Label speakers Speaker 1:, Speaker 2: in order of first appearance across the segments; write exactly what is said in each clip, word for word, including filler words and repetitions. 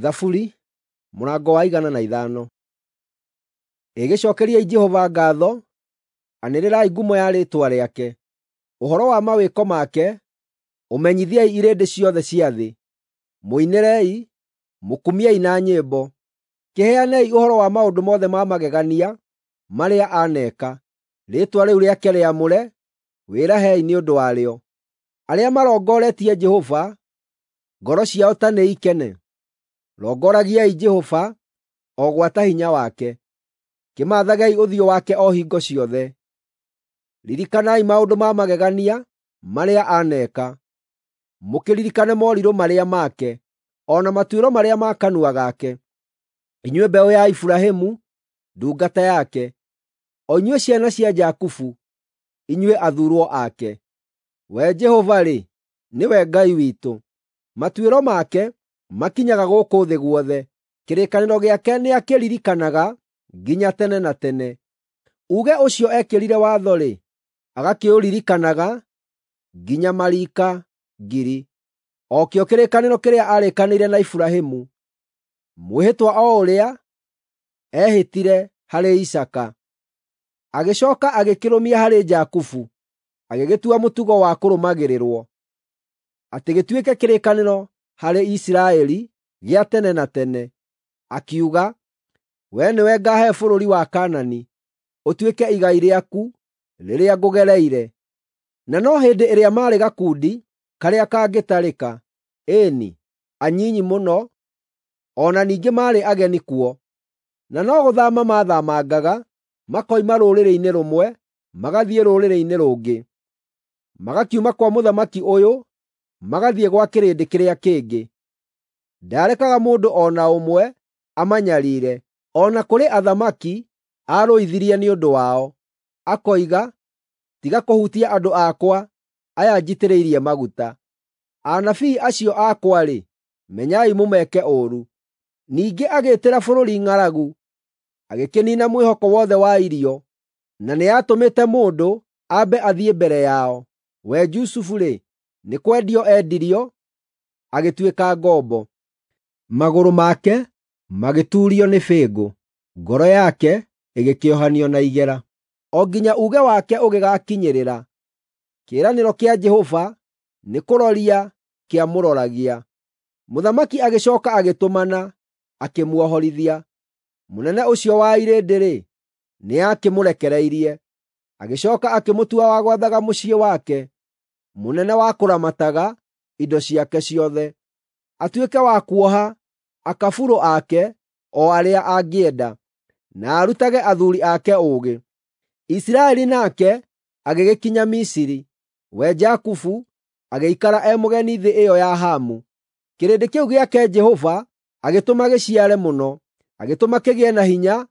Speaker 1: Thaburi mũrango wa igana na ithano. Ĩgĩcokeriai Jehova ngatho, anĩrĩrai ngumo ya rĩĩtwa rĩake. Ũhoro wa mawĩko make ũmenyithiei irĩndĩ ciothe cia thĩ. Mũinĩrei, mũkumiei na nyĩmbo. Kĩheanei ũhoro wa maũndũ mothe ma magegania marĩa aaneka. Rĩĩtwa rĩu rĩake rĩamũre, wĩrahei nĩ ũndũ warĩo. Arĩa marongoretie Jehova, ngoro ciao ta nĩikene. Rongoragiai Jehova, o gwata hinya wake. Kĩmathagei ũthiũ wake o hingo ciothe. Ririkanai maũndũ ma magegania marĩa aaneka, mũkĩririkane morirũ marĩa make, o na matuĩro marĩa ma kanua gake. Inyuĩ mbeũ ya Iburahĩmu, ndungata yake, o inyuĩ ciana cia Jakubu, inyuĩ athuurwo ake. We Jehova-rĩ, nĩwe Ngai witũ; matuĩro make makinyaga gũkũ thĩ guothe. Kĩrĩkanĩro gĩake nĩakĩririkanaga nginya tene na tene. Uuge ũcio eekĩrire watho-rĩ, agakĩũririkanaga nginya mariika ngiri, o kĩo kĩrĩkanĩro kĩrĩa aarĩkanĩire na Iburahĩmu, mwĩhĩtwa o ũrĩa eehĩtire harĩ Isaaka. Agĩcooka agĩkĩrũmia harĩ Jakubu, agĩgĩtua mũtugo wa kũrũmagĩrĩrwo, atĩ gĩtuĩke kĩrĩkanĩro harĩ Isiraeli gĩa tene na tene. Akiuga, “Wee nĩwe ngaahe bũrũri wa Kaanani, ũtuĩke igai rĩaku rĩrĩa ngũgereire.” Na no hĩndĩ ĩrĩa maarĩ gakundi karĩa kangĩtarĩka, ĩĩ-ni, anyinyi mũno, o na ningĩ maarĩ ageni kuo. Na no gũthaama maathaamangaga makoima rũrĩrĩ-inĩ rũmwe magathiĩ rũrĩrĩ-inĩ rũngĩ, magakiuma kwa mũthamaki ũyũ magathiĩ gwa kĩrĩndĩ kĩrĩa kĩngĩ. Ndaarekaga mũndũ o na ũmwe amanyariire, o na kũrĩ athamaki aarũithirie nĩ ũndũ wao, akoiga, “Tiga kũhutia andũ akwa aya njitĩrĩirie maguta. Anabii acio akwa-rĩ, menyai mũmeke ũũru.” Ningĩ agĩĩtĩra bũrũri ng'aragu, agĩkĩniina mwĩhoko wothe wa irio, na nĩatũmĩte mũndũ ambe athiĩ mbere yao. We Jusufu-rĩ, nĩ kwendio endirio, agĩtuĩka ngombo. Magũrũ make magĩtuurio nĩ bĩngũ, ngoro yake ĩgĩkĩohanio na igera, o nginya uuge wake ũgĩgaakinyĩrĩra. Kĩĩranĩro kĩa Jehova nĩkũroria kĩamũroragia. Mũthamaki agĩcooka agĩtũmana, akĩmuohorithia. Mũnene ũcio wa irĩndĩ-rĩ, nĩakĩmũrekereirie. Agĩcooka akĩmũtua wa gwathaga mũciĩ wake, mũnene wa kũramataga indo ciake ciothe, atuĩke wa kuoha akaburũ ake o arĩa angĩenda, na arutage athuuri ake ũũgĩ. Isiraeli nake agĩgĩkinya Misiri, we Jakubu agĩikara e mũgeni thĩ ĩyo ya Hamu. Kĩrĩndĩ kĩu gĩake Jehova agĩtũma gĩciare mũno, agĩtũma kĩgĩe na hinya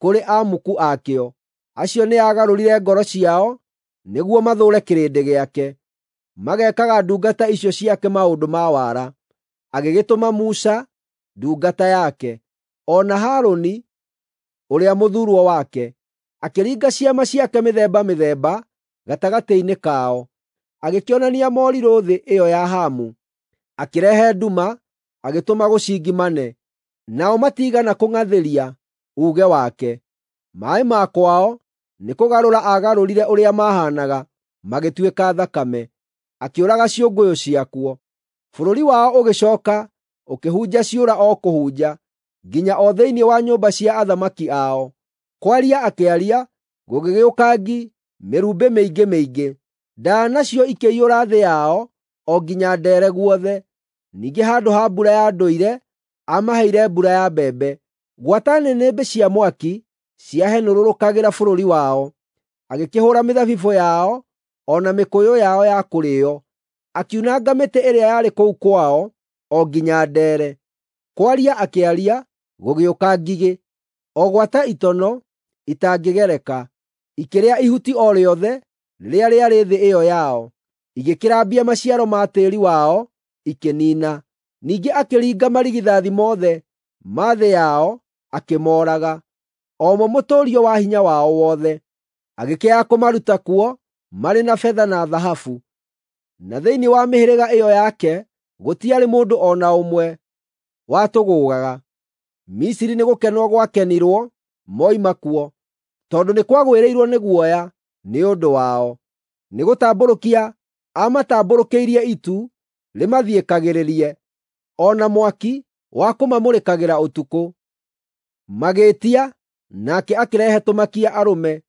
Speaker 1: kũrĩ amuku akĩo. Acio nĩagarũrire ngoro ciao nĩguo mathũũre kĩrĩndĩ gĩake, magekaga ndungata icio ciake maũndũ ma wara. Agĩgĩtũma Musa ndungata yake, o na Harũni ũrĩa mũthuurwo wake. Akĩringa ciama ciake mĩthemba mĩthemba gatagatĩ-inĩ kao, agĩkĩonania morirũ thĩ ĩyo ya Hamu. Akĩrehe nduma, agĩtũma gũcingimane, nao matiigana kũng'athĩria uuge wake. Maaĩ ma kwao nĩkũgarũra aagarũrire ũrĩa mahaanaga magĩtuĩka thakame, akĩũraga ciũngũyũ ciakuo. Bũrũri wao ũgĩcooka ũkĩhunja ciũra o kũhunja, nginya o thĩinĩ wa nyũmba cia athamaki ao. Kwaria akĩaria, gũgĩgĩũka ngi, mĩrumbĩ mĩingĩ mĩingĩ. Ndaa nacio ikĩiyũra thĩ yao o nginya ndeere guothe. Ningĩ handũ ha mbura ya ndũire, aamaheire mbura ya mbembe. Gwata nĩnĩmbĩ cia mwaki ciahenũrũrũkagĩra bũrũri wao. Agĩkĩhũũra mĩthabibũ yao o na mĩkũyũ yao ya kũrĩĩo, akiunanga mĩtĩ ĩrĩa yarĩ kũu kwao o nginya ndeere. Kwaria akĩaria, gũgĩũka ngigĩ, o gwata itono itangĩgereka, ikĩrĩa ihuti o rĩothe rĩrĩa rĩarĩ thĩ ĩyo yao, igĩkĩrambia maciaro ma tĩĩri wao ikĩniina. Ningĩ akĩringa marigithathi mothe ma thĩ yao akĩmooraga, o mo mũtũũrio wa hinya wao wothe. Agĩkĩaga kũmaruta kuo marĩ na betha na thahabu. Na thĩinĩ wa mĩhĩrĩga ĩyo yake gũtiarĩ mũndũ o na ũmwe watũgũũgaga. Misiri nĩgũkenwo gwakenirwo moima kuo, tondũ nĩ kwagwĩrĩirwo nĩ guoya nĩ ũndũ wao. Nĩgũtambũrũkia aamatambũrũkĩirie itu rĩmathiĩkagĩrĩrie, o na mwaki wa kũmamũrĩkagĩra ũtukũ. Magĩĩtia, nake akĩrehe tũmakia arũme,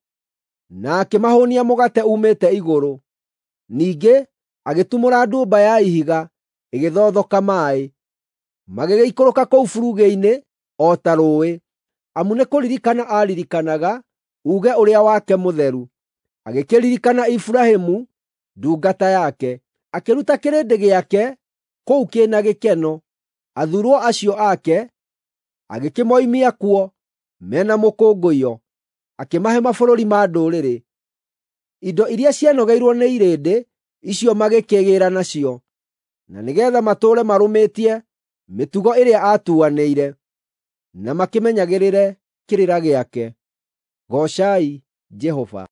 Speaker 1: na akĩmahũũnia mũgate uumĩte igũrũ. Ningĩ agĩtumũra ndũmba ya ihiga ĩgĩthothoka maaĩ. Magĩgĩikũrũka kũu burugĩ-inĩ o ta rũũĩ, amu nĩkũririkana aaririkanaga uuge ũrĩa wake mũtheru. Agĩkĩririkana Iburahĩmu ndungata yake, akĩruta kĩrĩndĩ gĩake kũu kĩ na gĩkeno, athuurwo acio ake agĩkĩmoimia kuo me na mũkũngũiyo, akĩmahe mabũrũri ma ndũrĩrĩ. Indo iria cianogeirwo nĩ irĩndĩ icio magĩkĩĩgĩĩra nacio, na nĩgeetha matũũre marũmĩtie mĩtugo ĩrĩa aatuanĩire, na makĩmenyagĩrĩre kĩrĩra gĩake. Goocai Jehova.